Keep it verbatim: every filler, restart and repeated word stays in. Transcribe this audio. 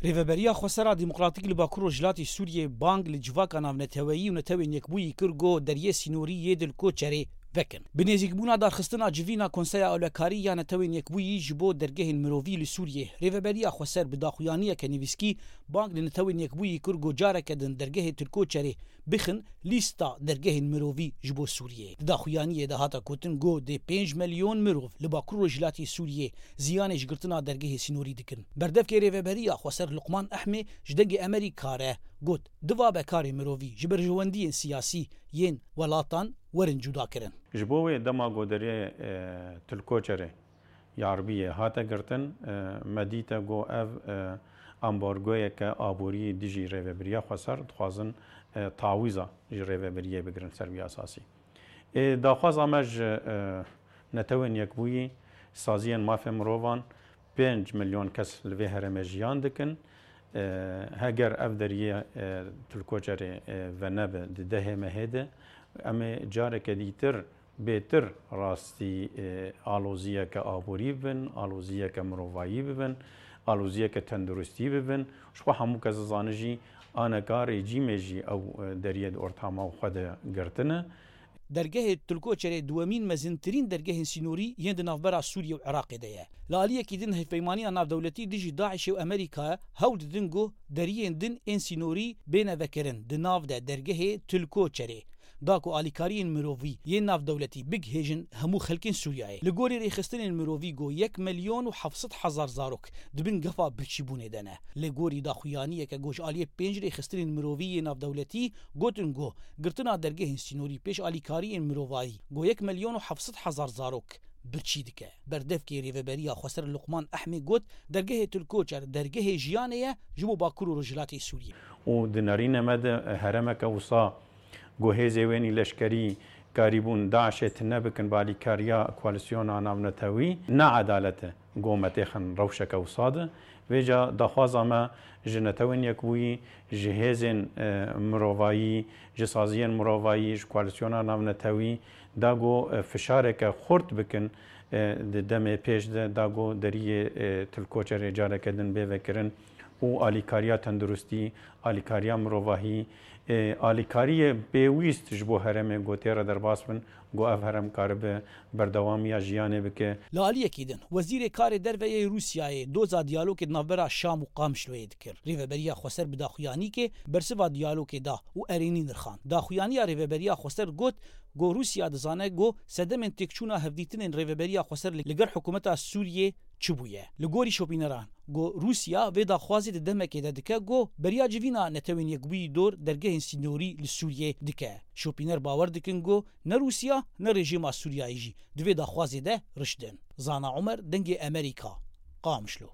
Rêveberiya Xwesera Demokratîk li Bakur Rojhilatê Sûriyê bang li civaka navneteweyî û Netewên Yekbûyî kir ku deriyê sînorî yê Tilkoçerê vekin. Bi nêzîkbûna darxistina civîna Konseya Ewlekarî ya Netewên Yekbûyî ji bo dergehên mirovî li Sûriyê, Rêveberiya Xweser bi daxuyaniyeke nivîskî bang li Netewên Yekbûyî kir ku careke din dergehê Tilkoçerê bixin lîsta dergehên mirovî ji bo Sûriyê. Di daxuyaniyê de hate gotin ku dê pênc milyon mirov li Bakur Rojhilatê Sûriyê ziyanê ji girtina dergehê sînorî dikin. Berdevkê Rêveberiya Xweser Luqman Ehmê ji Dengê Amerîka re got, divabe karê mirovî ji berjewendiyên siyasî yên welatan werin cudakirin. Ji bo wê dema goderê, e, Tilkoçerê Yarbiyê hate girtin, e, me dîte ku ev, e, ambargoyeke aborî dijî Rêveberiya Xweser dixwazin, e, tawîza ji Rêveberiyê bigirin ser vî esasî. Ê, daxwaza me ji, e, Netewên Yekbûyî, saziyên mafê mirovan, pênc milyon kes li vê herêmê jiyan dikin. E, heger ev deriyê, e, Tilkoçerê, e, venebe di dehê mehê de, em ê careke dîtir bêtir rastî, e, aloziyeke aborî bibin, aloziyeke mirovayî bibin, aloziyeke tenduristî bibin. Ji xwe hemû kes dizane jî aneka rejîmê jî ew, e, deriyê di ortama xwe de girtine. Dergehê Tilkoçerê duwemîn mezintirîn dergehên sînorî yên di navbera Sûriyê û Iraqê de ye. Li aliyekî din hevpeymaniya navdewletî dijî DAIŞê û Amerîkayê hewl didin ku deriyên din ên sînorî bêne vekirin di nav de dergehê Tilkoçerê, da ku alîkariyên mirovî yên navdewletî bigihêjin hemû xelkên Sûriyeyê. Li gorî rêxistinên mirovî ku yek milyon û heft sed hezar zarok di bin gefa birçîbûnê de ne. Li gorî daxuyaniyeke ku ji aliyê pênc rêxistinên mirovî yê navdewletî gotin ku girtina dergehên sînorî pêş alîkariyên mirovayî ku yek milyon û heft sed hezar zarok birçî dike. Berdevkê Rêveberiya Xweser Luqman Ehmê got, dergehê Tilkoçer dergehê jiyanê ye ji bo Bakur û Rojhilatê Sûriyê. Û di nerînê me de herêmeke wisa ku hêzê wênî leşkerî karîbûn DAIŞê tune bikin bi alîkariya koalîsyona navnetewî, ne edalet e ku me têxin rewşeke wisa de. Vêca daxwaza me ji Netewên Yekbûyî, ji hêzên, e, mirovayî, ji saziyên mirovayî, ji koalîsyona navnetewî, da ku, e, fişareke xurt bikin, e, di demê pêş de, da ku deriyê, e, Tilkoçerê careke din bê vekirin û alîkariya tenduristî, alîkariya mirovahî, e, alîkariyê pêwîst ji bo herêmê ku tê re derbas bin, ku ev herêm karibe berdewamiya jiyanê bike. Li aliyekî din, Wezîrê Karê Derve yê Rûsyayê doza diyalogê di navbera Şam û Qamişloyê dikir. Rêveberiya Xweser bi daxuyanîkê bersiva diyalogê da û erênî nirxand. Daxuyaniya Rêveberiya Xweser got ku Rûsya dizane ku sedemên têkçûna hevdîtinên Rêveberiya Xweser li, li gel hikûmeta Sûriyê çi bûye. Li gorî şopîneran, ku Rûsya vê daxwazê di demekê de dike ku beriya civîna Netewên Yekbûyî dor dergehên sînorî li Sûriyê dike. Şopîner bawer dikin ku ne Rûsya ne rejîma Sûriyayê jî di vê daxwazê de riştin. Zana Omer, Dengê Amerîka, Qamişlo.